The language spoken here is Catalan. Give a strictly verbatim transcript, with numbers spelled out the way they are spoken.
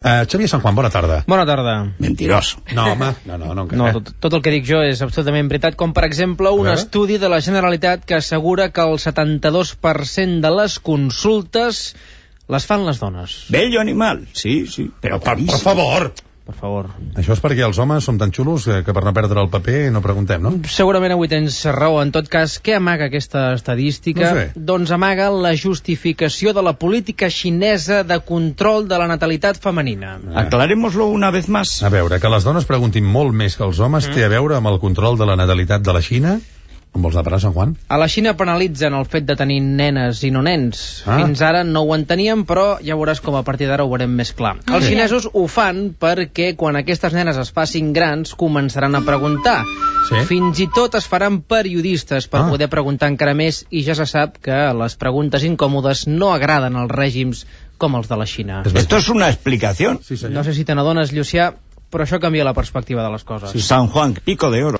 Uh, Xavier San Juan, bona tarda. Bona tarda. Mentiroso. No, home, no, no, no. No, tot, tot el que dic jo és absolutament veritat, com per exemple un estudi de la Generalitat que assegura que el setanta-dos per cent de les consultes les fan les dones. Bello animal, sí, sí. Però per, per favor! Per favor. Això és perquè els homes som tan xulos que, que per no perdre el paper no preguntem, no? Segurament avui tens raó. En tot cas, què amaga aquesta estadística? No sé. Doncs amaga la justificació de la política xinesa de control de la natalitat femenina. Ah. Aclarémoslo una vez más. A veure, que les dones preguntin molt més que els homes mm. té a veure amb el control de la natalitat de la Xina? On vols anar a parar, Sant Juan? A la Xina penalitzen el fet de tenir nenes i no nens. Ah. Fins ara no ho enteníem, però ja veuràs com a partir d'ara ho veurem més clar. Ah. Els xinesos ho fan perquè quan aquestes nenes es facin grans començaran a preguntar. Sí? Fins i tot es faran periodistes per ah. poder preguntar encara més, i ja se sap que les preguntes incòmodes no agraden als règims com els de la Xina. Esto es una explicación. Sí, no sé si te n'adones, Llucià, però això canvia la perspectiva de les coses. Sí. San Juan, pico de oro.